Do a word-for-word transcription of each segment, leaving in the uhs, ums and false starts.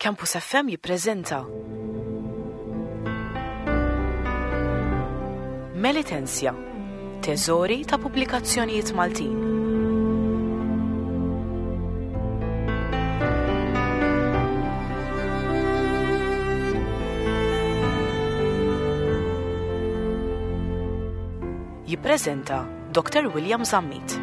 Campus F M jippreżenta Melitensia, teżori ta' pubblikazzjonijiet Maltin. Jippreżenta Doctor William Zammit.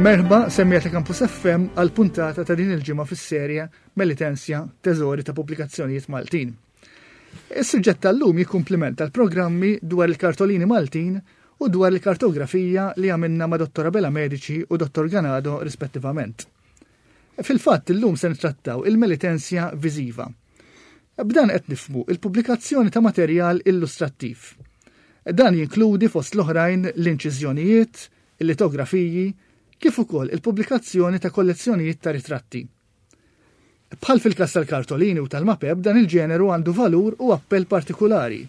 Merħba, semmiegħa ta' Campus F M għal puntata ta' din il-ġimgħa fis-serje Melitensia, teżori ta' pubblikazzjonijiet Maltin. Is-suġġett tal-lum jikkumplimenta l-programmi dwar il-kartolini Maltin u dwar il-kartografija li għamilna ma' Dottor Abela Medici u Dottor Ganado rispettivament. Fil-fatt illum se nittrattaw il-Melitensia viżiva. B'dan qed nifhmu il-pubblikazzjoni ta' materjal illustrattiv. Dan jinkludi fost l-oħrajn l-inċiżjonijiet, il-litografiji, kif ukoll il-pubblikazzjoni ta' kollezzjonijiet ta' ritratti. Bħal fil-kas tal-kartolini u tal-mapep, dan il-ġeneru għandu valur u appell partikolari,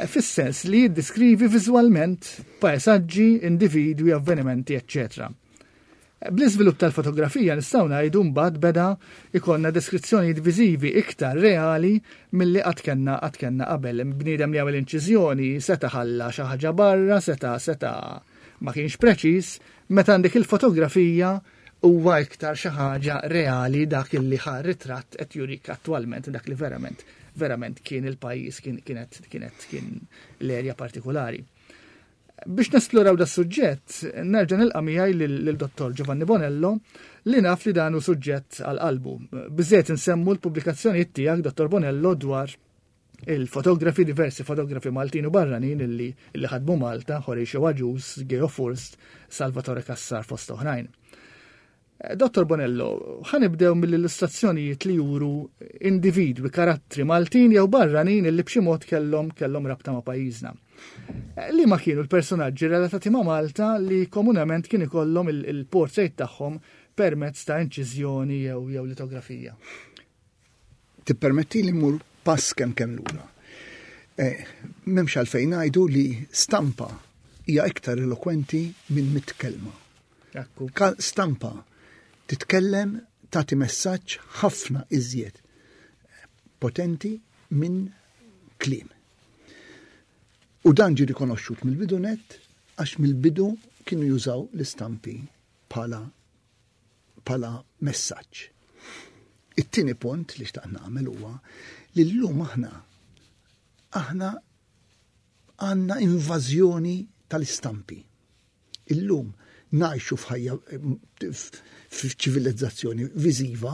fis-sens li jiddiskrivi viżwalment paesaġġi, individwi, avvenimenti, eċċetera. Bl-iżvilupp tal-fotografija nistgħu ngħidu mbagħad beda ikollna deskrizzjonijiet viżivi iktar reali milli qatt kellna qatt kellna qabel. Bniedem li għamel inċiżjoni seta' ħalla xi ħaġa barra, seta' seta' ma kienx preċiż, meta għandek il-fotografija huwa iktar xi ħaġa reali, dak illi ħa ritratt qed jurik attwalment dak li verament verament kien il-pajjiż, kien kienet kienet kien l-erja partikolari. Biex nesploraw da suġġett, nerġa' nilqa' miegħi lil Dottor Giovanni Bonello, li naf li dan hu suġġett għal qalbu. Biżejjed insemmu l-pubblikazzjonijiet tiegħek, Dottor Bonello, dwar il-fotografi, diversi fotografi Maltin u barranin illi, illi ħadmu Malta, Horatio Agius, Geo Furst, Salvatore Cassar fost oħrajn. Eh, Dottor Bonello, ħa nibdew mill-illustrazzjonijiet li juru individwi, karattri Maltin jew barranin illi b'xi mod kellhom kellhom rabta ma' pajjiżna. Eh, Li ma kienu l-personaġġi relatati ma' Malta li komunament kien ikollhom il-portrait tagħhom permezz ta' inċiżjoni jew jew litografija? Tippermetti li mmur pass kemm kemm lura. Eh, M'hemmx għalfejn ngħidu li stampa hija iktar elokwenti minn mitt kelma. Ekku. Ka- Stampa titkellem, tagħti messaġġ ħafna iżjed potenti minn kliem. U dan ġi rikonoxxut mill-bidu net, għax mill-bidu kienu jużaw l-istampi bħala bħala messaġġ. It-tieni punt li xtaqt nagħmel huwa li llum aħna aħna għandna invażjoni tal-istampi. Illum ngħixu f'ħajja f'ċivilizzazzjoni viżiva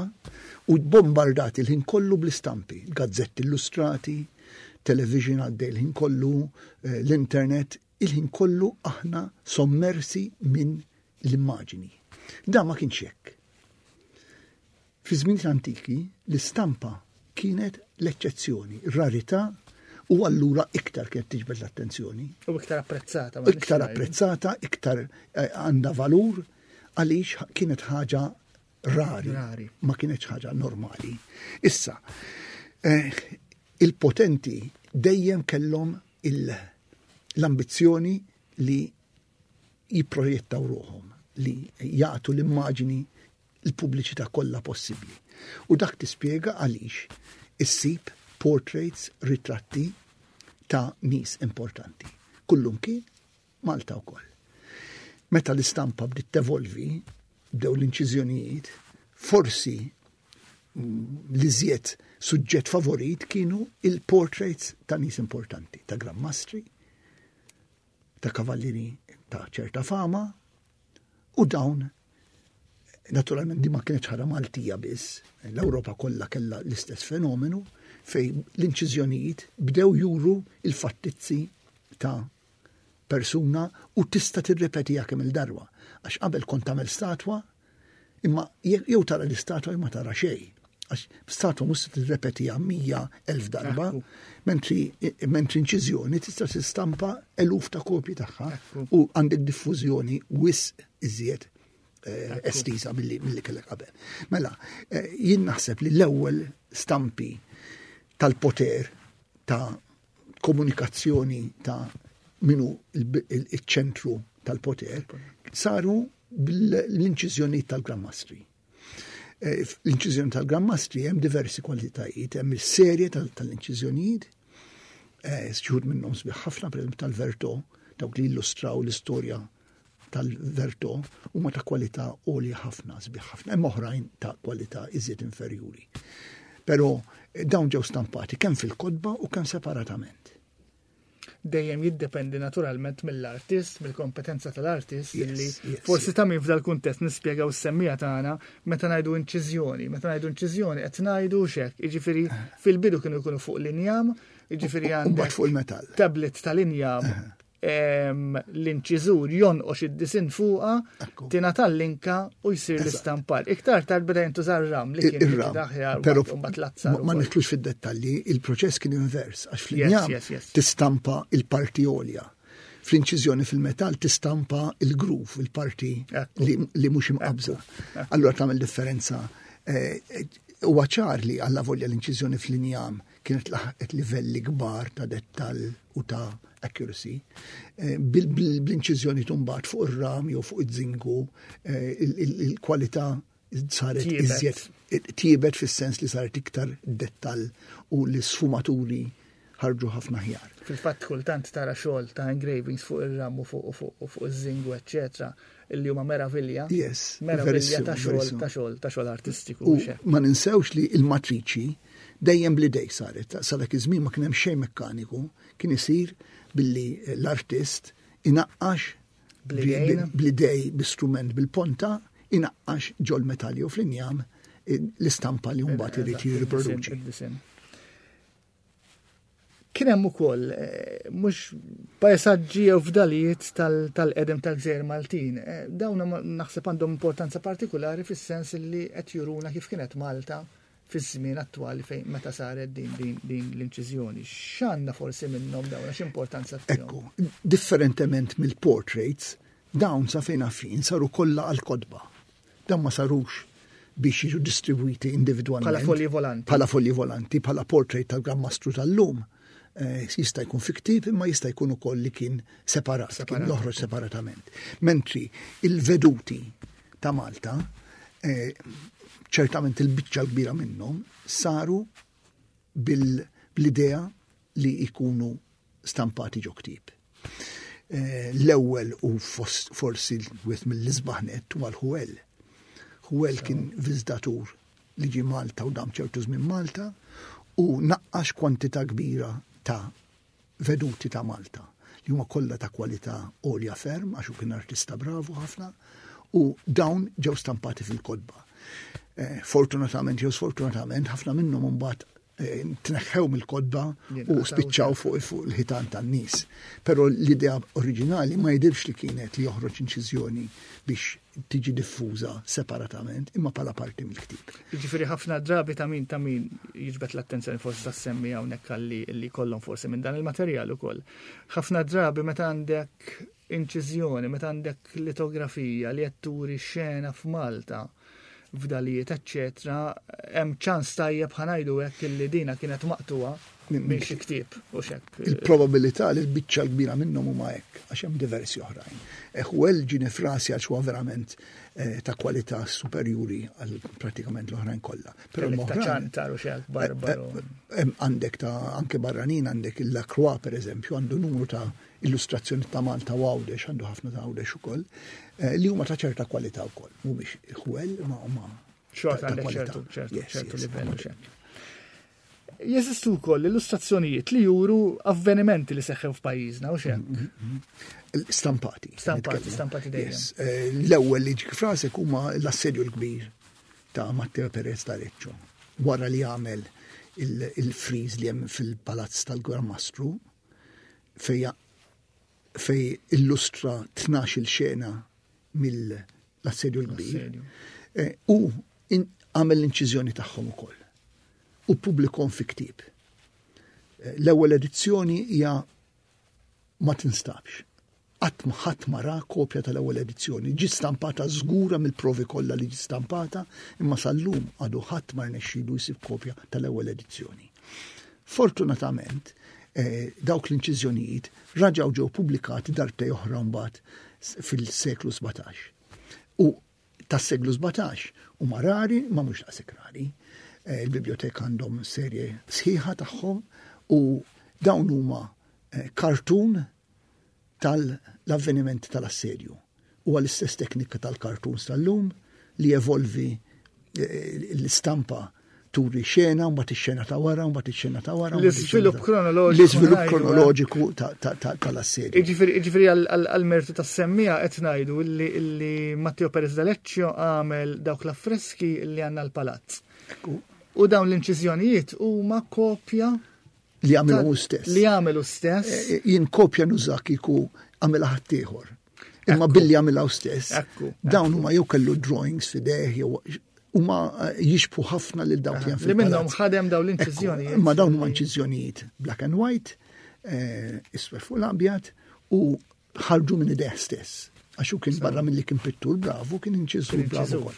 u bombardati l-ħin kollu bl-istampi, gazzetti illustrati, television għaddej l-ħin kollu, eh, l-internet, il-ħin kollu aħna sommersi minn l-immaġini. Da ma kienx hekk. Fi żmien antiki l-istampa kienet l-eċċezzjoni, rarità, u allura iktar kienet tiġbed l-attenzjoni. U iktar apprezzata, ma Iktar nix ngħidu. apprezzata, iktar eh, għandha valur, għaliex kienet ħaġa rari, Rari. Ma kienet ħaġa normali. Issa, eh, il-potenti dejjem kellhom il- l-ambizzjoni li jipprojettaw ruħhom, li jagħtu l-immaġini, l-pubbliċità kollha possibbli. U dak tispjega għaliex issib portraits, ritratti ta' nies importanti. Kullum kien Malta wkoll. Meta l-istampa bdiet tevolvi, bdew l-inċiżjonijiet, forsi mm, l-iżjed suġġett favorit kienu il-portraits ta' nies importanti, ta' Gran Mastri, ta' kavallieri ta' ċerta fama, u dawn naturalment di ma kienx ħaġa Maltija biss, l-Ewropa kollha kellha l-istess fenomenu fej l-inċiżjonijiet bdew juru il-fattizzi ta' persuna u tista' tirrepetiha kemm il-darba. Għax qabel kont tagħmel statwa, imma je- jew tara l-istatwa jew ma tara xejn. Għax statwa mhux se tirrepetiha mija elf darba, Ekku. mentri mentri inċiżjoni tista' tistampa eluf ta' kopji tagħha Ekku. u għandek diffużjoni wisq iżjed eh, estiża milli milli kellek qabel. Mela, eh, jien naħseb li l-ewwel stampi tal-poter ta' komunikazzjoni ta' minu il-ċentru tal-poter saru bl-inċiżjonijiet tal-Gran Mastri. Eh, l-inċiżjoni tal-Gran Mastri hemm diversi kwalitajiet, hemm il-serje tal-inċiżjonijiet, eh, xi wħud minnhom sbieħ ħafna, per tal-Verto, dawk li illustraw l-istorja tal-Verto huma ta' kwalità għolja ħafna, sbieħ ħafna, hemm oħrajn ta' kwalità iżjed inferjuri. Però eh, dawn ġew stampati kemm fil-kotba u kemm separatament. Dejjem jiddependi naturalment mill-artist, mill-kompetenza tal-artist, li forsi ta' min f'dal kuntest nispjegaw is-semmiegħa tagħna meta ngħidu inċiżjoni. Meta ngħidu inċiżjoni qed ngħidu xek, jiġifieri fil-bidu kienu jkunu fuq l-injam, jiġifieri għandek fuq il-metall. Tablet tal-injam, l-inċiżur jonqox id-disin fuqa, tingħata l-linka u jsir l-istampar. Iktar tard beda jintuża ram li kien ir-ram. Però ma nidħlux fid-dettalji, il-proċess kien invers, għax fl-injam tistampa il-parti għolja. Fl-inċiżjoni fil-metall tistampa il-groove, il-parti li mhux imqabża. Allura tagħmel differenza. Huwa ċar li alla volja l-inċiżjoni fl-injam kienet laħqet livelli kbar ta' dettall u ta' accuracy. Eh, bl-inċiżjoni tumbat fuq ir-ram jew fuq iż-żinku, eh, il-kwalità saret iżjed tjiebet fis-sens li saret iktar dettall u l-sfumaturi ħarġu ħafna ħjar. Fil-fatt kultant tara xogħol ta' engravings fuq ir-ram u fuq fuq fuq iż-żingu, eċċetera, illi huma meravilja. Yes. Meravilja ta' xogħol ta' xogħol ta' xogħol artistiku. U ma ninsewx li il-matriċi dejjem bl-idej saret. Sa dak iż-żmien ma kien hemm xejn mekkaniku, kien isir billi l-artist inaqqax bl-idej b'istrument bil-ponta, inaqqax ġol metalli u fl-injam l-istampa li mbagħad irid jirriproduċi. Kien hemm ukoll eh, mhux pajsaġġi jew fdalijiet tal-qedem tal-Gżejjer Maltin. Eh, dawn naħseb għandhom importanza partikolari fis-sens li qed juruna kif kienet Malta fiż-żmien attwali fejn meta saret din din din l-inċiżjoni. X'għandna forsi minnhom dawn, x'importanza tihom? Ekku, differentement mill-portraits, dawn sa fejn fin saru kollha għal-kotba. Dawn ma sarux biex jiġu distribwiti individwalment. Bħala folji volanti. Bħala folji volanti, bħala portrait tal-Gran Mastru tal-lum. Eh, jista' jkun fi ktieb imma jista' jkun ukoll li kien separat, kien joħroġ separatament. Mentri il-veduti ta' Malta, eh, ċertament il-biċċa l-kbira minnhom saru bil-idea li jkunu stampati ġo ktieb. Eh, l-ewwel u forsi wieħed mill-isbaħ nett huwa l-Ħuel. Ħuel kien viżitatur li ġie Malta u dam ċertu żmien Malta u naqqax kwantità kbira ta' veduti ta' Malta li huma kollha ta' kwalità għolja ferm għax hu kien artista bravu ħafna u dawn ġew stampati fil-kotba. Eh, fortunatament jew sfortunatament ħafna minnhom imbagħad eh, tneħħew mill-kotba u spiċċaw fuq fuq il-ħitan tan-nies. Però l-idea oriġinali ma jidirx li kienet li joħroġ inċiżjoni biex tiġi diffuża separatament imma bħala parti mill-ktieb. Jiġifieri ħafna drabi ta' min ta' min jiġbed l-attenzjoni forsi ta' semmi hawnhekk li li kollhom forsi minn dan il-materjal ukoll. Ħafna drabi meta għandek inċiżjoni, meta għandek litografija li qed turi xena f'Malta, fdalijiet, eċċetera, hemm ċans tajjeb ħa ngħidu hekk illi dina kienet maqtuha minn xi ktieb u xek. Il-probabilità li l-biċċa l-kbira minnhom huma hekk, għax hemm diversi oħrajn. Ħuel ġie f'rasi għax huwa verament eh, ta' kwalità superjuri għal pratikament l-oħrajn kollha. Però ta' ċantar u xek barbaru. Eh, eh, għandek ta' anke barranin, għandek il-Lacroix per eżempju, għandu numru ta' illustrazzjoni ta' Malta u Għawdex, għandu ħafna ta' Għawdex ukoll, li huma ta' ċerta kwalità wkoll. Mhumiex Ħuel ma huma xorta għandek ċertu ċertu livell u xek. Jeżistu wkoll illustrazzjonijiet li juru avvenimenti li seħħew f'pajjiżna u xek. Stampati. Stampati, stampati dejjem. L-ewwel li ġik frasek huma l-assedju l-kbir ta' Matteo Perez d'Areccio. Wara li għamel il-friż li hemm fil-palazz tal-Gran Mastru fej fej illustra tnax-il xena mill-assedju l-kbir. U għamel l-inċiżjoni tagħhom ukoll. U publikom fi ktieb. L-ewwel edizzjoni hija ma tinstabx. Qatt ma ħadd ma ra kopja tal-ewwel edizzjoni. Ġiet stampata żgura mill-provi kollha li ġiet stampata, imma sal-lum għadu ħadd ma rnexxielu jsib kopja tal-ewwel edizzjoni. Fortunatament, dawk l-inċiżjonijiet raġgħu ġew pubblikati darbtej oħra mbagħad fil-seklu sbatax. U tas-seklu sbatax huma rari, ma mhux daqshekk rari. Eh, il-biblioteka għandhom serje sħiħa tagħhom u dawn huma eh, kartun tal-avvenimenti tal-assedju. Huwa l-istess teknika tal-kartuns tal-lum li evolvi eh, l-istampa turi xena, mbagħad ix-xena ta' wara, mbagħad ix-xena ta' wara. L-iżvilupp kronoloġiku. L-iżvilupp kronoloġiku tal-assedju. Jiġifieri għall-mertu tas-semmija qed ngħidu illi Matteo Perez D'Aleccio għamel dawk l-affreski li għandna l-palazz. U dawn l-inċiżjonijiet huma kopja li għamelu stess. Li għamelu stess. Eh, jien kopja nuża kieku għamilha ħaddieħor. Imma billi għamilha stess. Dawn huma jew kellu drawings f'idejh jew huma eh, jixbhu ħafna lil dawk li Li minnhom ħadem dawn l-inċiżjonijiet. Ma dawn huma inċiżjonijiet black and white, eh, iswed fuq l-abjad u ħarġu minn idejh stess. Għax hu kien barra milli kien pittur bravu, kien inċiżur bravu.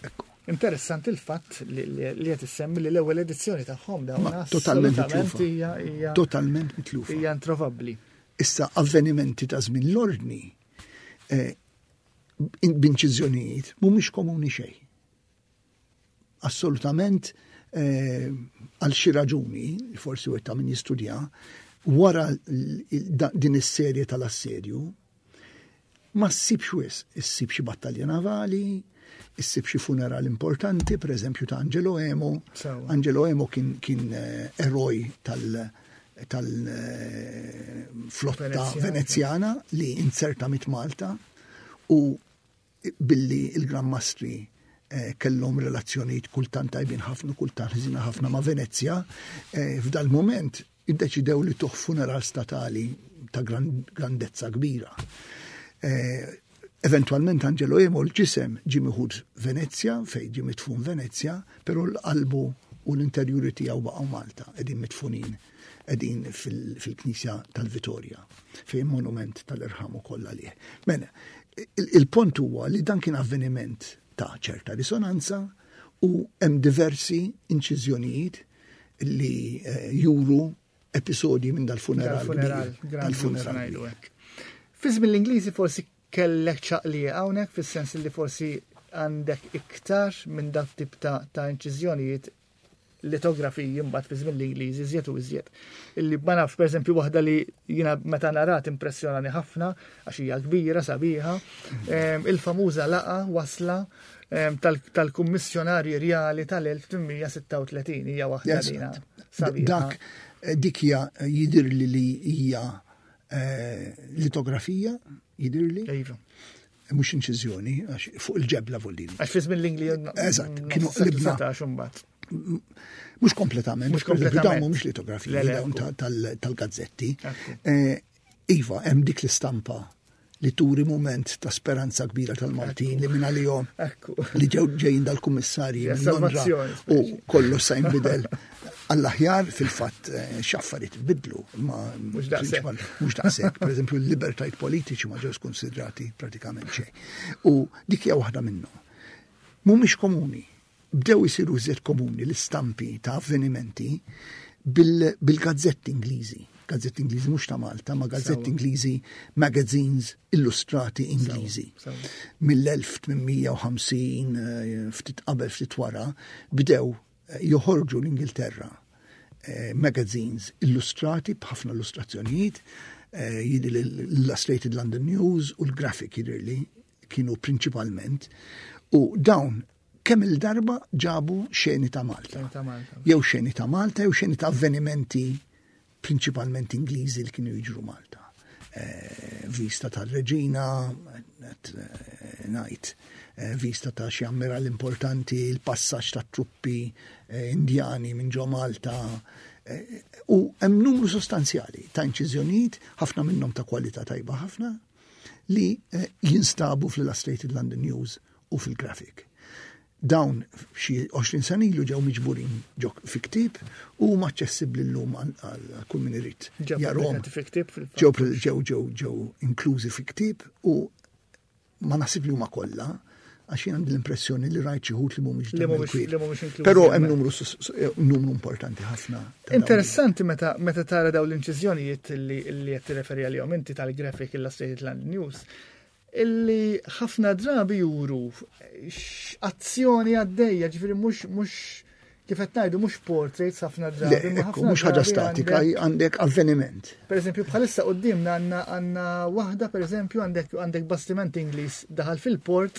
Ekku. Interessanti il-fatt li qed issemmi li l-ewwel edizzjoni tagħhom dawn totalment mitlufa. Totalment mitlufa. Hija introvabbli. Issa avvenimenti ta' żmien l-ordni eh, b'inċiżjonijiet mhumiex komuni xejn. Assolutament eh, għal xi raġuni, forsi u ta' min jistudja, wara din is-serje tal-assedju, ma ssibx wisq, issib xi battalja navali, issib xi funeral importanti, per eżempju ta' Angelo Emo. Angelo Emo kien, kien eh, eroj tal- tal-flotta Venezjana li inzerta mit Malta u billi il-Gran Mastri eh, kellhom relazzjonijiet kultant tajbin ħafna, kultant ħżina ħafna ma' Venezja, eh, f'dal moment iddeċidew li tuħ funeral statali ta' grandezza kbira. Eh, eventualment Angelo Emo l-ġisem ġie miħud Venezja, fej ġie mitfun Venezja, però l-qalbu u l-interjuri tiegħu baqgħu Malta, qegħdin mitfunin, qegħdin fil-Knisja tal-Vitorja, fejn monument tal-irħam ukoll għalih. Mela, il-punt huwa li dan kien avveniment ta' ċerta risonanza u hemm diversi inċiżjonijiet li eh, juru episodji minn dal-funeral. Dal-funeral. Fi żmien l-Ingliżi forsi kellek ċaqlija hawnhekk fis-sens li forsi għandek iktar minn dak tip ta' ta' inċiżjonijiet litografiji mbagħad fi żmien l-Ingliżi iżjed u iżjed. Illi ma nafx pereżempju waħda li jiena meta narat impressjonani ħafna għax hija kbira sabiħa, il-famuża laqa wasla tal-Kummissjonarji Rjali tal-elf tmien sitta u tletin hija waħda dina sabiħa. Dak dik hija jidirli li hija eh, litografija, jidirli. Iva. Mhux inċiżjoni, għax fuq il-ġebla voldini. Għax fi żmien l-Ingliż Eżatt, kienu qlibna. Mhux kompletament, Mhux kompletament. Dawn mhumiex litografiji, Le, le, dawn ekku. tal-, tal-gazzetti. Ekku. Eh, iva, hemm dik l-istampa li turi moment ta' speranza kbira tal-Maltin li minn għalihom Ekku. li ġew ġejjin dal-kummissarji Ja, minn Londra salvazzjoni, u speċi. kollu sa jinbidel għall-aħjar fil-fatt, eh, x'affarijiet bidlu, ma Mhux daqshekk. prinċipal, mhux daqshekk. Per eżempju, l-libertajt politiċi ma ġewx konsidrati pratikament xejn. U dik hija waħda minnhom. Mhumiex komuni. Bdew isiru iżjed komuni l-istampi ta' avvenimenti bil-, bil-gazzetti Ingliżi. Gazzetti Ingliżi mhux ta' Malta, ma gazzetti Sewa. Ingliżi, magazines illustrati Ingliżi. Sewa, sewa. Mill-elf tmien u ħamsin, eh, ftit qabel, ftit wara, bdew, eh, joħorġu l-Ingilterra, eh, magazines illustrati b'ħafna illustrazzjonijiet, eh, jidhi l-Illustrated London News u l-Graphic jidhirli kienu prinċipalment, u dawn kemm il-darba ġabu xeni ta' Malta. Xeni ta' Malta. Jew xeni ta' Malta, jew xeni ta' avvenimenti prinċipalment Ingliżi li kienu jiġru Malta. Eh, vista tal-Reġina, et, eh, ngħid, eh, vista ta' xi ammiral importanti, il-passaġġ ta' truppi, eh, indjani minn ġo Malta. Eh, u hemm numru sostanzjali ta' inċiżjonijiet, ħafna minnhom ta' kwalità tajba ħafna, li, eh, jinstabu fl-Illustrated London News u fil-Graphic. Dawn xi għoxrin sena ilu ġew miġburin ġo fi ktieb u huma aċċessibbli llum għal, għal kull min irid Ġew jarahom. pubblikati fi ktieb fil-fatt. Ġew pre-, ġew, ġew, ġew inklużi fi ktieb u ma naħsib li huma kollha, għax jien għandi l-impressjoni li rajt xi wħud li mhumiex Li dan mhumiex- il-ktieb. li mhumiex inklużi Però hemm hemmhekk. numru sus-, sus-, eh, numru importanti ħafna ta' dawn. Interessanti meta, meta tara dawn l-inċiżjonijiet li, li qed tirreferi għalihom inti tal-Graphic Illustrated London News. Illi ħafna drabi juru azzjoni għaddejja, ġifieri mhux mhux kif qed ngħidu mhux portraits ħafna drabi. Mhux ħaġa statika, għandek avveniment. Per eżempju, bħalissa quddiemna għandna għandna waħda, per eżempju, għandek għandek bastiment Ingliż daħal fil-port,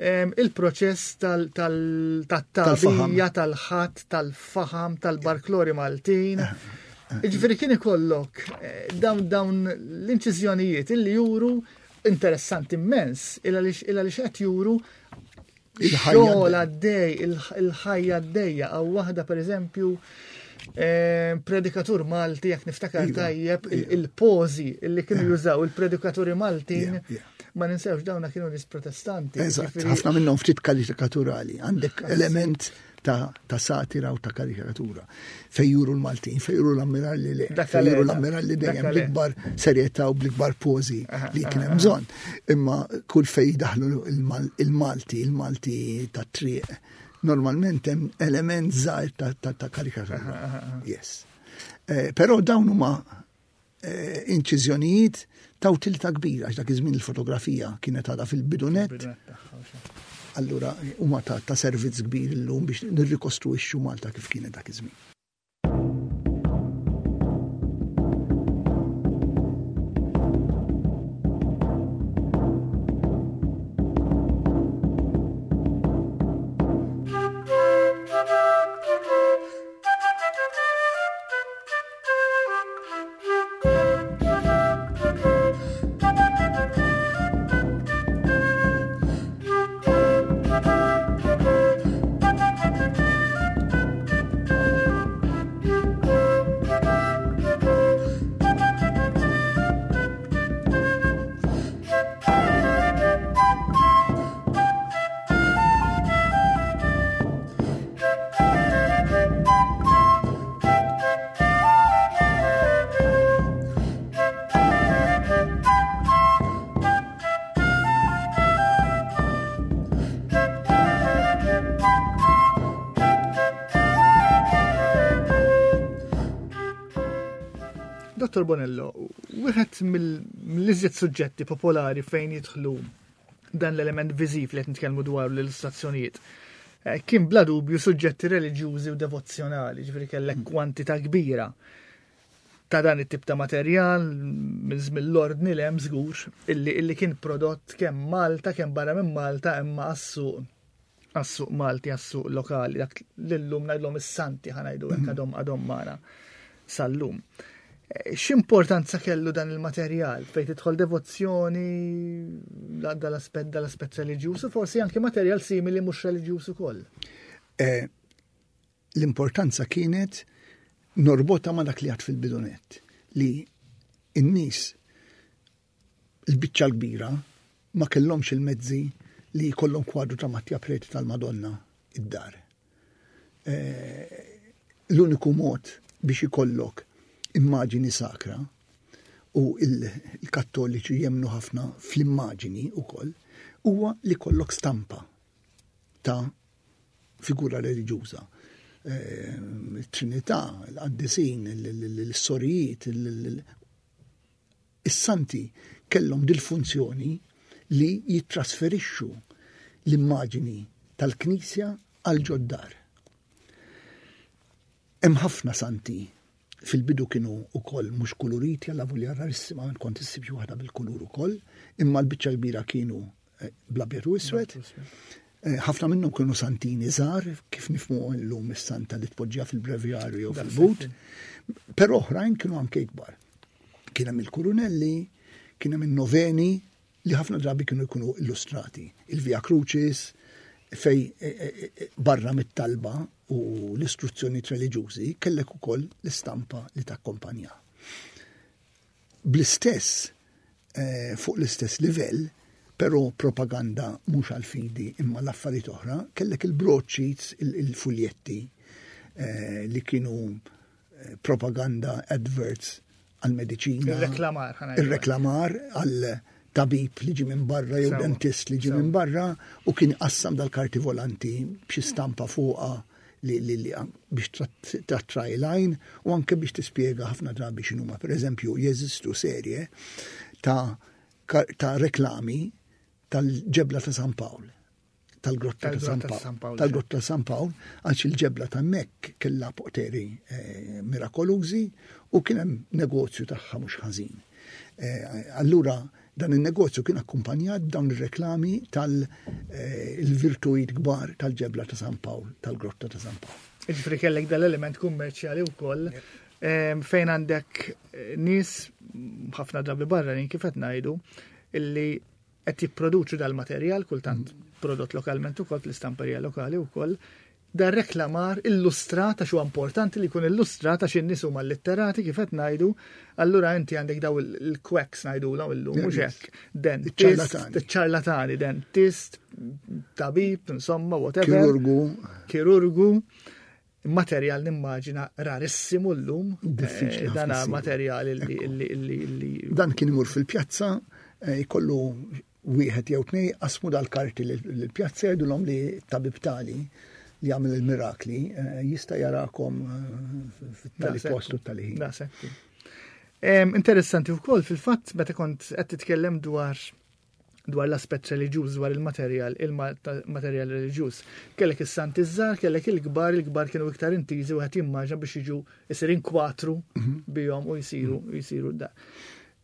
il-proċess tal-tagħbija, tal-ħatt, tal-faħam, tal-barklori Maltin. Ġifieri kien ikollok dawn dawn l-inċiżjonijiet illi juru interessanti immens, illa li qed juru il-xogħol għaddej, il-ħajja għaddejja, għaw waħda per eżempju predikatur Malti, jekk niftakar tajjeb, il-pożi illi kienu jużaw il-predikaturi Maltin, ma ninsewx dawna kienu nies protestanti. Eżatt, ħafna minnhom ftit karikaturali, għandek element ta', ta' satira u ta' karikatura. Fejn juru l-Maltin, fejn juru l-ammiralli le, fejn juru l-ammiralli dejjem bl-ikbar serjetà u bl-ikbar pożi li kien hemm bżonn. Imma kull fejn daħlu il-Malti, il-Malti ta' triq, normalment hemm element żgħir ta', ta, ta' karikatura. Yes. Eh, però dawn huma eh, inċiżjonijiet ta' utilità kbira, għax dak iż-żmien il-fotografija kienet għadha fil-bidunet. Allura huma ta', ta' servizz kbir illum biex nirrikostruixxu Malta kif kienet dak iż-żmien. Dottor Bonello, wieħed mill-iżjed suġġetti popolari fejn jidħlu dan l-element viżiv li qed nitkellmu dwar l-illustrazzjonijiet, kien bla dubju suġġetti reliġjużi u devozzjonali, ġifieri kellek kwantità kbira ta' dan it-tip ta' materjal minn żmien l-ordni l hemm żgur illi, illi kien prodott kemm Malta kemm barra minn Malta imma għas-suq għas-suq Malti, għas-suq lokali, dak lillum ngħidlhom is-santi ħa ngħidu hekk għadhom għadhom magħna sal-lum. X'importanza kellu dan il-materjal fejn tidħol devozzjoni dal-aspett dal-aspett reliġjuż u forsi anke materjal simili mhux reliġjuż ukoll? Eh, l-importanza kienet norbota ma' dak li għad fil-bidunet, li n-nies il-biċċa l-kbira ma kellhomx il-mezzi li jkollhom kwadru ta' Mattia Preti tal-Madonna id-dar. Eh, l-uniku mod biex ikollok immaġini sakra, u il-kattoliċi jemnu ħafna fl-immaġini u koll, huwa li kollok stampa ta' figura reliġjuża. Trinità, l-qaddisin, l-sorijiet, is-santi kellhom dil-funzjoni li jittrasferixxu l-immaġini tal-Knisja għal ġoddar. Hemm ħafna santi fil-bidu kienu ukoll mhux kuluriti, alla volja rarissima kont issib xi waħda bil-kulur ukoll, imma l-biċċa kbira kienu bl-abjad u iswed. Ħafna minnhom kienu santini żgħar, kif nifhmu llum is-santa li tpoġġiha fil-brevjarju jew fil-but, però oħrajn kienu anke ikbar. Kien hemm il-kurunelli, kien hemm in-noveni li ħafna drabi kienu jkunu illustrati. Il-Via Crucis, fej barra mit-talba u l-istruzzjoni reliġjużi kellek ukoll l-istampa li takkompanja. Bl-istess, eh, fuq l-istess livell, però propaganda mhux għal-fidi imma l-affarijiet oħra, kellek il-broadsheets, il-fuljetti eh, li kienu propaganda adverts għal-mediċina. Il-reklamar. Il-reklamar għal tabib li ġi minn barra jew dentist li ġi minn barra u kien qassam dal-karti volanti b'xi stampa fuqha li, li, li biex tattraj lajn u anke biex tispjega ħafna drabi x'inhuma. Per eżempju, jeżistu serje ta', ta' reklami tal-ġebla ta' San Pawl, tal-grotta ta' San Pawl, tal-grotta ta' San Pawl, għax il-ġebla ta' Mek kellha poteri eh, mirakolużi u kien hemm negozju tagħha mhux ħażin. Eh, allura dan il-negozju kien akkumpanjat dawn ir-reklami tal-virtujiet kbar tal-ġebla ta' San Pawl, tal-grotta ta' San Pawl. Ġifieri kellek dal-element kummerċjali wkoll fejn għandek nies ħafna drabi barranin, kif qed ngħidu, illi qed jipproduċu dal-materjal, kultant prodott lokalment ukoll fl-istamperija lokali wkoll, dar reklamar illustrat, għax huwa importanti li jkun illustrat għax in-nies huma litterati, kif qed ngħidu, allura inti għandek daw il-quacks ngħidulhom illum, mhux hekk? Dentist, ċarlatani, dentist, tabib, insomma, whatever. Kirurgu. Kirurgu. Materjal nimmaġina rarissimu llum. Diffiċli. Eh, dana materjal li li Dan kien imur fil-pjazza, eh, jkollu wieħed jew tnej qasmu dal-karti l-pjazza, jgħidulhom li tabib tali li jagħmel il-mirakli eh, jista' jarakom fit-tali postu tali ħin. Interessanti wkoll fil-fatt meta kont qed titkellem dwar dwar l-aspett reliġjuż, dwar il-materjal, il-materjal reliġjuż. Kellek is-santi żgħar, kellek il-kbar, il-kbar kienu iktar intiżi u qed jimmaġina biex jiġu isir inkwatru mhm. bihom u jsiru jsiru da.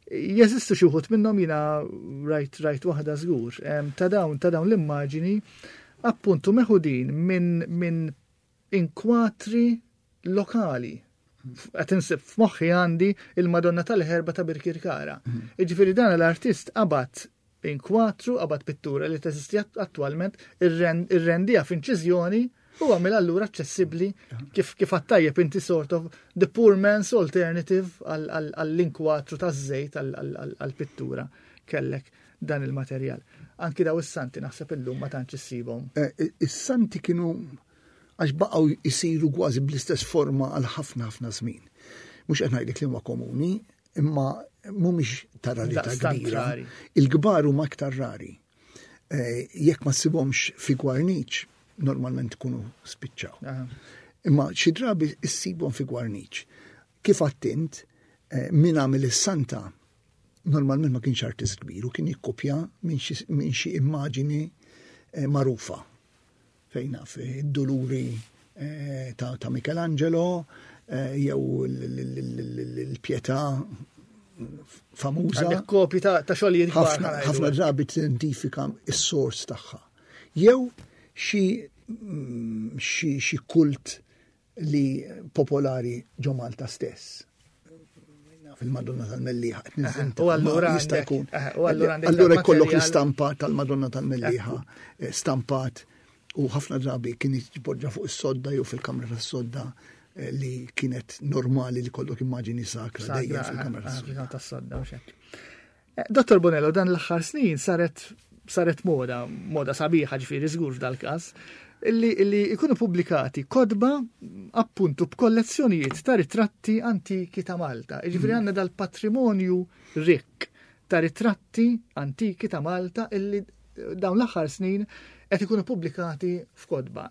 Jeżistu xi wħud minnhom, jiena rajt rajt waħda żgur. Ta' dawn ta' dawn l-immaġini appuntu meħudin minn min inkwatri lokali. Qed insib f'moħħi, għandi il-Madonna tal-Ħerba ta' Birkirkara. Mhm. Jiġifieri dan l-artist qabad inkwatru, qabad pittura li teżisti attualment, irrendiha f'inċiżjoni u għamel allura aċċessibbli, kif kif għattajjeb inti, sort of the poor man's alternative għall-inkwatru taż-żejt, għall-pittura, kellek dan il-materjal. Anki daw is-santi naħseb illum ma tantx issibhom. Eh, is-santi kienu, għax baqgħu jisiru kważi bl-istess forma għal ħafna ħafna żmien. Mhux qed ngħidlek li huma komuni, imma mhumiex ta' rarità kbira. Il-kbar huma aktar rari. Eh, jekk ma ssibhomx fi gwarniċ, normalment ikunu spiċċaw. Imma xi drabi issibhom fi gwarniċ. Kif għedt int, eh, min għamel is-santa normalment ma kienx artist kbir u kien jikkopja minn xi immaġini eh, magħrufa. Fejn naf, id-Duluri ta', ta Michelangelo, jew l-Pietà famuża. Għandek kopji ta' xogħlijiet. Ħafna ħafna drabi tidentifika is-sors tagħha. Jew xi mm, xi xi kult li popolari ġo Malta stess. Fil-Madonna tal-Mellieħa. U allura jista' jkun. Allura jkollok l-istampa tal-Madonna tal-Mellieħa eh, stampat u ħafna drabi kien jitpoġġa fuq is-sodda jew fil-kamra tas-sodda, eh, li kienet normali li kollok immaġini sakra dejjem fil-kamra tas-sodda. Eh, Dottor Bonello, dan l-aħħar snin saret saret moda, moda sabiħa ġifieri żgur f'dal-każ, illi, illi ikunu pubblikati kotba appuntu b'kollezzjonijiet ta' ritratti antiki ta' Malta. Ġifieri mm. għandna dal-patrimonju rikk ta' ritratti antiki ta' Malta illi dawn l-aħħar snin qed ikunu pubblikati f'kotba.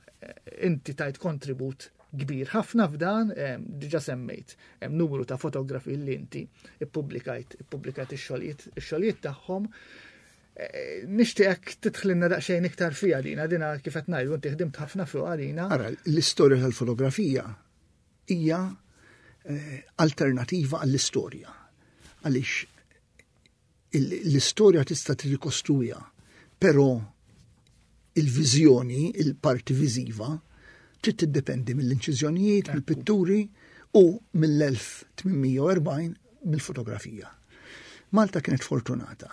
Inti tajt kontribut kbir ħafna f'dan, diġa semmejt, hemm numru ta' fotografi li inti ippubblikajt, ippubblikajt ix-xogħlijiet ix-xogħlijiet tagħhom. Eh, nixtieqek tidħlilna daqsxejn iktar fija dina, dina kif qed ngħidu inti ħdimt ħafna fuq dina. Ara, l-istorja tal-fotografija hija eh, alternativa għall-istorja. Għaliex l-istorja tista' tirrikostruha, però il-viżjoni, il-parti viżiva, trid tiddependi mill-inċiżjonijiet, mill-pitturi u mill-elf tmien mija u erbgħin mill-fotografija. Malta kienet fortunata,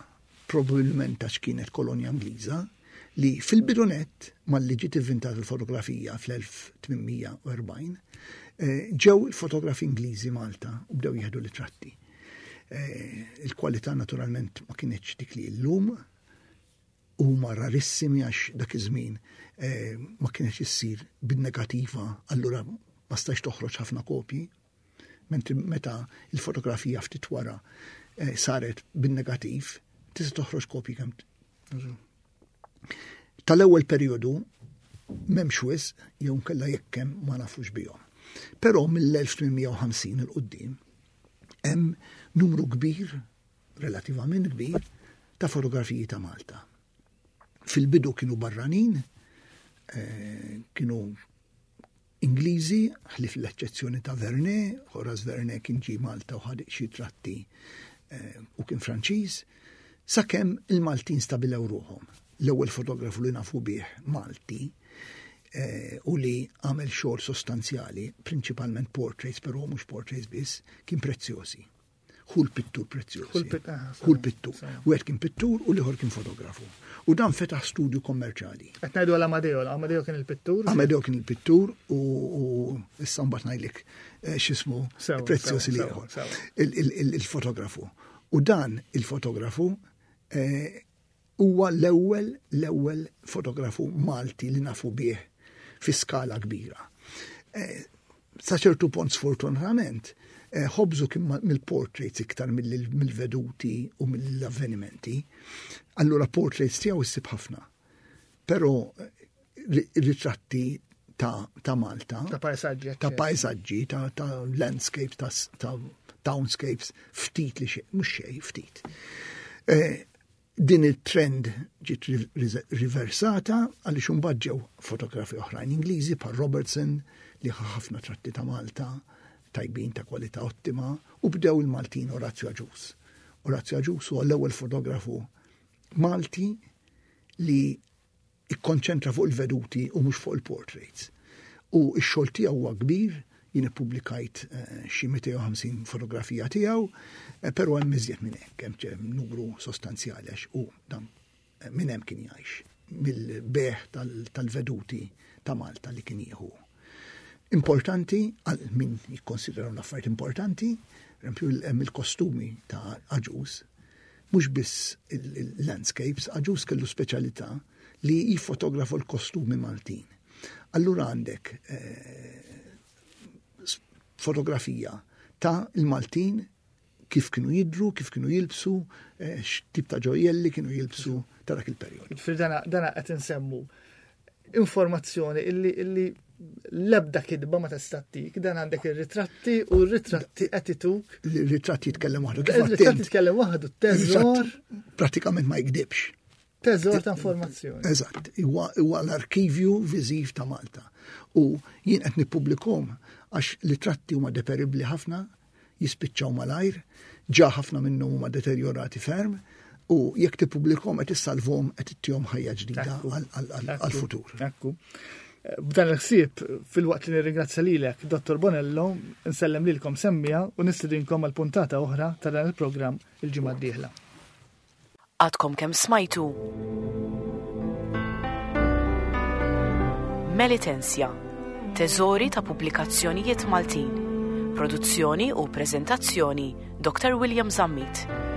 probabilment għax kienet kolonja Ingliża, li fil-bidunet malli ġiet inventata il-fotografija fl-elf tmien mija u erbgħin, eh, ġew il-fotografi Ingliżi Malta u bdew jieħdu ritratti. Eh, il-kwalità naturalment ma kienx dik li llum, huma rarissimi għax dak iż-żmien eh, ma kienx issir bin-negativa, allura ma stax toħroġ ħafna kopji. Mentri meta il-fotografija ftit wara eh, saret bin-negativ, tista' toħroġ kopji kemm. Tal-ewwel perjodu m'hemmx wisq, jew nkella jekk hemm ma nafux bihom. Però mill-elf tmien mija u ħamsin 'il quddiem hemm numru kbir, relativament kbir, ta' fotografiji ta' Malta. Fil-bidu kienu barranin, eh, kienu Ingliżi, ħlief l-eċċezzjoni ta' Vernet, Horace Vernet kien ġie Malta u ħa xi tratti eh, u kien Franċiż, sakemm il-Maltin stabilew ruħhom. L-ewwel fotografu li nafu bih Malti eh, u li għamel xogħol sostanzjali, prinċipalment portraits, però mhux portraits biss, kien Preziosi. Hu l-pittur Preziosi. Hu l-pittur. Wieħed kien pittur u l-ieħor kien fotografu. U dan fetaħ studju kommerċali. Qed ngħidu għal Amadeo, Amadeo kien il-pittur? Amadeo kien il-pittur u issa mbagħad ngħidlek eh, x'ismu Preziosi l-ieħor. Il-fotografu. U dan il-fotografu eh, huwa l-ewwel l-ewwel fotografu Malti li nafu bih fi skala kbira. Eh, sa ċertu punt, sfortunatament, eh, ħobżu kien mill-portraits iktar mill-veduti u mill-avvenimenti. Allura portraits tiegħu issib ħafna. Però eh, ritratti ta', ta Malta. Ta' pajsaġġi. Ta' pajsaġġi, ta', ta landscapes, ta', ta townscapes, ftit li xejn, mhux xejn, ftit. Eh, din il-trend ġiet riversata għaliex imbagħad ġew fotografi oħrajn Ingliżi bħal Robertson li ħafna tratti ta' Malta tajbin ta' kwalità ottima u bdew il-Maltin, Orazio Agius. Orazio Agius huwa l-ewwel fotografu Malti li ikkonċentra fuq il-veduti u mhux fuq il-portraits. U x-xogħol tiegħu huwa kbir, jien ippubblikajt eh, xi mitejn u ħamsin fotografija tiegħu, eh, però hemm iżjed minn hekk, hemm numru sostanzjali għax u dan eh, minn hemm kien jgħix, mill-bejgħ tal-veduti ta' Malta li kien jieħu. Importanti, għal min jikkonsidraw l-affarijiet importanti, eżempju hemm il-kostumi ta' Agius, mhux biss il-landscapes, Agius kellu speċjalità li jiffotografu l-kostumi Maltin. Allura għandek fotografija ta' il-Maltin kif kienu jidru, kif kienu jilbsu, eh, x'tip ta' ġojjelli kienu jilbsu ta' dak il-perjodu. Fil dana dana qed insemmu informazzjoni illi illi l-ebda kitba ma tista' ttik, dan għandek ir-ritratti u r-ritratti qed ituk. Il-ritratti jitkellem waħdu. Kif Ir-ritratti jitkellem waħdu, teżor. Pratikament ma jikdibx. Teżor ta' informazzjoni. Eżatt, huwa l-arkivju viżiv ta' Malta. U jien qed nippubblikhom għax ritratti huma deperibbli ħafna, jispiċċaw malajr, ġa ħafna minnhom huma deterjorati ferm, u jekk tippubblikhom qed issalvhom, qed ittihom ħajja ġdida għal-futur. Ekku. B'dan il-ħsieb, filwaqt li nirringrazzja lilek, Dottor Bonello, nsellem lilkom semmiegħa u nistedinkom għal puntata oħra ta' dan il-programm il-ġimgħa d-dieħla. Għadkom kemm smajtu Melitensia, teżori ta' pubblikazzjonijiet Maltin. Produzzjoni u prezentazzjoni Dottor William Zammit.